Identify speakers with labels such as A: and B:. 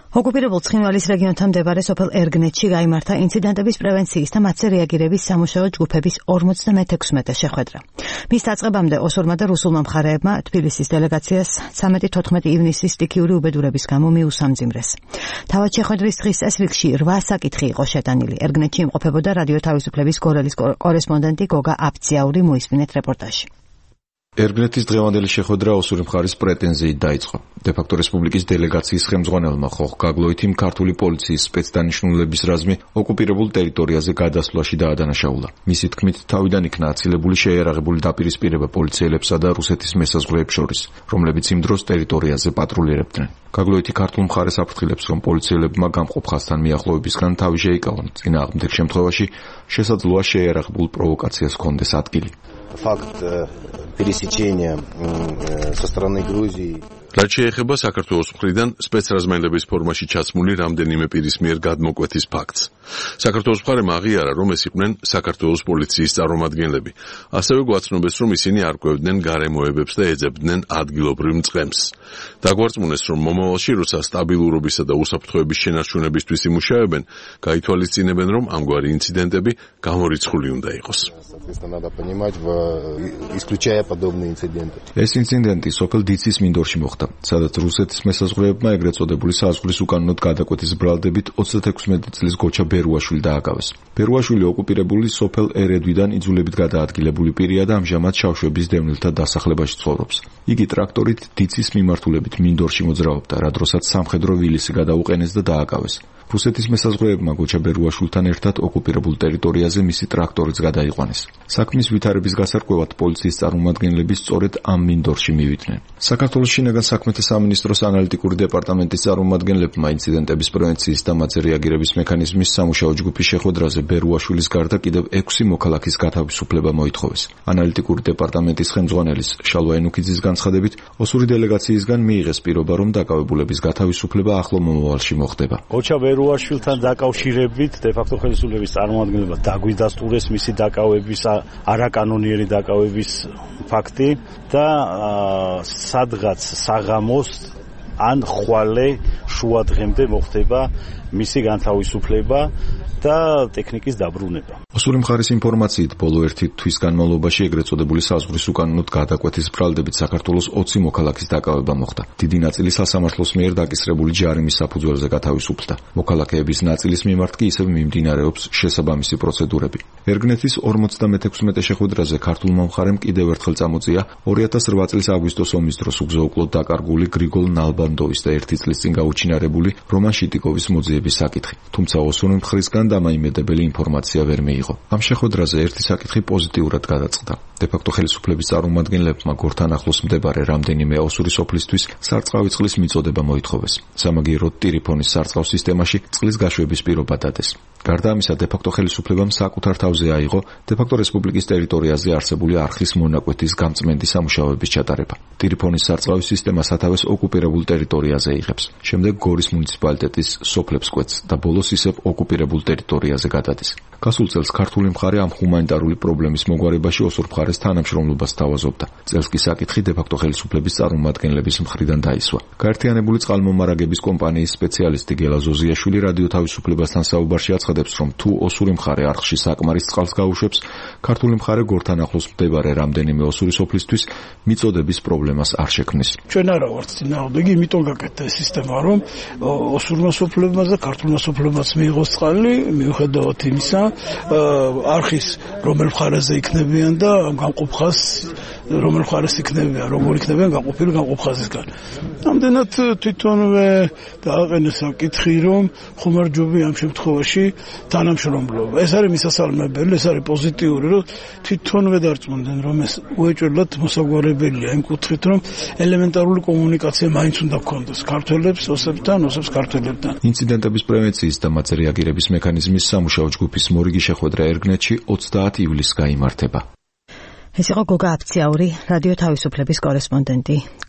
A: ოკუპირებულ ცხინვალის რეგიონთან მდებარე სოფელ ერგნეთში გაიმართა ინციდენტების პრევენციის და მათზე რეაგირების სამუშაო ჯგუფების 56 შეხვედრა. მის დაწყებამდე ოსურმა და რუსულმა მხარეებმა თბილისის დელეგაციას 13-14 ივნისის სტიქიური უბედურების გამო მიუსამძიმრეს. თავად შეხვედრის დღის წესრიგში 8 საკითხი იყო შეტანილი. ერგნეთში იმყოფებოდა რადიო თავისუფლების გორელის კორესპონდენტი გოგა აბციაური, მოისმინეთ რეპორტაჟი.
B: ერგნეთის დღევანდელი შეხვედრა ოსური მხარის პრეტენზიით დაიწყო. დე-ფაქტო რესპუბლიკის დელეგაციის ხელმძღვანელმა ხოხ გაგლოითიმ ქართული პოლიციის სპეცდანიშნულების რაზმი ოკუპირებულ ტერიტორიაზე გადასვლაში დაადანაშაულა. მისი თქმით, თავიდან იქნა აცილებული შეიარაღებული დაპირისპირება პოლიციელებსა და რუსეთის მესაზღვრეებს შორის, რომლებიც იმ დროს ტერიტორიაზე პატრულირებდნენ. გაგლოითი ქართულ მხარეს აფრთხილებს, რომ პოლიციელებმა გამყოფ ხაზთან მიახლოებისგან თავი შეიკავონ. წინააღმდეგ შემთხვევაში შესაძლოა შეიარაღებულ პროვოკაციას ჰქონდეს ადგილი.
C: Факт пересечения со стороны Грузии.
D: რაც შეეხება საქართველოს მხრიდან სპეცრაზმელების ფორმაში ჩაცმული რამდენიმე პირის მიერ გადმოკვეთის ფაქტს. საქართველოს მხარემ აღიარა, რომ ეს იყვნენ საქართველოს პოლიციის წარმომადგენლები. ასევე გვაცნობეს, რომ ისინი არ კვევდნენ გარემოებებს და ეძებდნენ ადგილობრივ მწყემსს. დაგვარწმუნეს, რომ მომავალში, როცა სტაბილურობისა და უსაფრთხოების შენარჩუნებისთვის იმუშავებენ, გაითვალისწინებენ, რომ ამგვარი ინციდენტები გამორიცხული უნდა იყოს.
B: ეს ინციდენტი სოფელ დიცის მინდორში მოხდა, სადაც რუსეთის მესაზღვრეებმა ეგრეთ წოდებული საზღვრის უკანონოდ გადაკვეთის ბრალდებით 36 წლის გოჩა ბერუაშვილი დააკავეს. ბერუაშვილი ოკუპირებული სოფელ ერედვიდან იძულებით გადაადგილებული პირია და ამჟამად შავშვების დევნილთა დასახლებაში ცხოვრობს. იგი ტრაქტორით დიცის მიმართულებით მინდორში მოძრაობდა, რა დროსაც სამხედრო ვილისი გადაუყენეს და დააკავეს. რუსეთის მესაზღვრეებმა გოჩა ბერუაშვილთან ერთად ოკუპირებულ ტერიტორიაზე მისი ტრაქტორიც გადაიყვანეს. საქმის ვითარების გასარკვევად პოლიციის წარმომადგენლები სწორედ ამ მინდორში მივიდნენ. საქართველოს შინაგან საქმეთა სამინისტროს ანალიტიკური დეპარტამენტის წარმომადგენლებმა ინციდენტების პრევენციის და მათზე რეაგირების მექანიზმის სამუშაო ჯგუფის შეხვედრაზე ბერუაშვილის გარდა კიდევ 6 მოქალაქის გათავისუფლება მოითხოვეს. ანალიტიკური დეპარტამენტის ხელმძღვანელის შალვა ენუქიძის განცხადებით, ოსური დელეგაციისგან მიიღეს პირობა, რომ დაკავებულების გათავისუფლება ახლო მომავალში მოხდება.
E: ბერუაშვილთან დაკავშირებით დე-ფაქტო ხელისუფლების წარმომადგენლებმა დაგვიდასტურეს მისი დაკავების არაკანონიერი დაკავების ფაქტი და სადღაც საღამოს ან ხვალე შუა დღემდე მოხდება მისი განთავისუფლება და ტექნიკის დაბრუნება.
B: ოსური მხარის ინფორმაციით, ბოლო 1 თვის განმავლობაში ეგრეთ წოდებული საზღვრის უკანონოდ გადაკვეთის ბრალდებით საქართველოს 20 მოქალაქის დაკავება მოხდა. დიდი ნაწილი სასამართლოს მიერ დაკისრებული ჯარიმის საფუძველზე გათავისუფლდა. მოქალაქეების ნაწილის მიმართ კი ისევ მიმდინარეობს შესაბამისი პროცედურები. ერგნეთის 56 შეხვედრაზე ქართულმა მხარემ კიდევ ერთხელ წამოწია 2008 წლის აგვისტოს ომის დროს უგზო-უკლოდ დაკარგული გრიგოლ ნალბანდოვის და 1 წლის წინ გაუჩინარებული რომან შიტიკოვის მოძიების საკითხი. თუმცა ოსური მხრისგან დამაიმედებელი ინფორმაცია ვერ მიიღო. ამ შეხვედრაზე ერთი საკითხი პოზიტიურად გადაწყდა. დე-ფაქტო ხელისუფლების წარმომადგენლებმა გორთან ახლოს მდებარე რამდენიმე ოსური სოფლისთვის სარწყავი წყლის მიწოდება მოითხოვეს. სამაგიეროდ ტირიფონის სარწყავ სისტემაში წყლის გაშვების პირობა დადეს. გარდა ამისა, დე-ფაქტო ხელისუფლებამ საკუთარ თავზე აიღო დე-ფაქტო რესპუბლიკის ტერიტორიაზე არსებული არხის მონაკვეთის გამწმენდი სამუშაოების ჩატარება. ტირიფონის სარწყავი სისტემა სათავეს ოკუპირებულ ტერიტორიაზე იღებს. შემდეგ გორის მუნიციპალიტეტის სოფლებს კვეთს და ბოლოს ისევ ოკუპირებულ ტერიტორიაზე გადადის. გასულ წელს ქართული მხარე ამ ჰუმანიტარული პრობლემის მოგვარებაში ოსურ მხარეს თანამშრომლობას თავაზობდა. წელს კი საკითხი დე-ფაქტო ხელისუფლების წარმომადგენლების მხრიდან დაისვა. გაერთიანებული წყალმომარაგების კომპანიის სპეციალისტი გელა ზოზიაშვილი რადიო თავისუფლებასთან საუბარში აცხადებს, რომ თუ ოსური მხარე არხში საკმარის წყალს გაუშვებს, ქართული მხარე გორთან ახლოს მდებარე რამდენიმე ოსური სოფლისთვის მიწოდების პრობლემას არ შექმნის.
F: ჩვენ არა ვართ წინააღმდეგი, იმიტომ გაკეთდა ეს სისტემა, რომ ოსურმა სოფლებმაც და ქართულმა სოფლებმაც მიიღოს წყალი, მიუხედავად იმისა, არხის რომელ მხარეზე იქნებიან და გამყოფ ხაზს რომელ მხარეს იქნებიან, როგორ იქნებიან გაყოფილი გამყოფ ხაზისგან. ამდენად თვითონვე დააყენეს საკითხი, რომ ხომარჯობი ამ შემთხვევაში თანამშრომლობა. ეს არის მისასალმებელი, ეს არის პოზიტიური, რომ თვითონვე დარწმუნდნენ, რომ ეს უეჭველად მოსაგვარებელია იმ კუთხით, რომ ელემენტარული კომუნიკაცია მაინც უნდა გქონდეს ქართველებს, ოსებთან, ოსებს ქართველებთან.
B: ინციდენტების პრევენციის და მათზე რეაგირების მექანიზმის სამუშაო ჯგუფის მორიგი შეხვედრა ერგნეთში 30 ივლისს გაიმართება.
A: ეს იყო გოგა აბციაური, რადიო თავისუფლების კორესპონდენტი.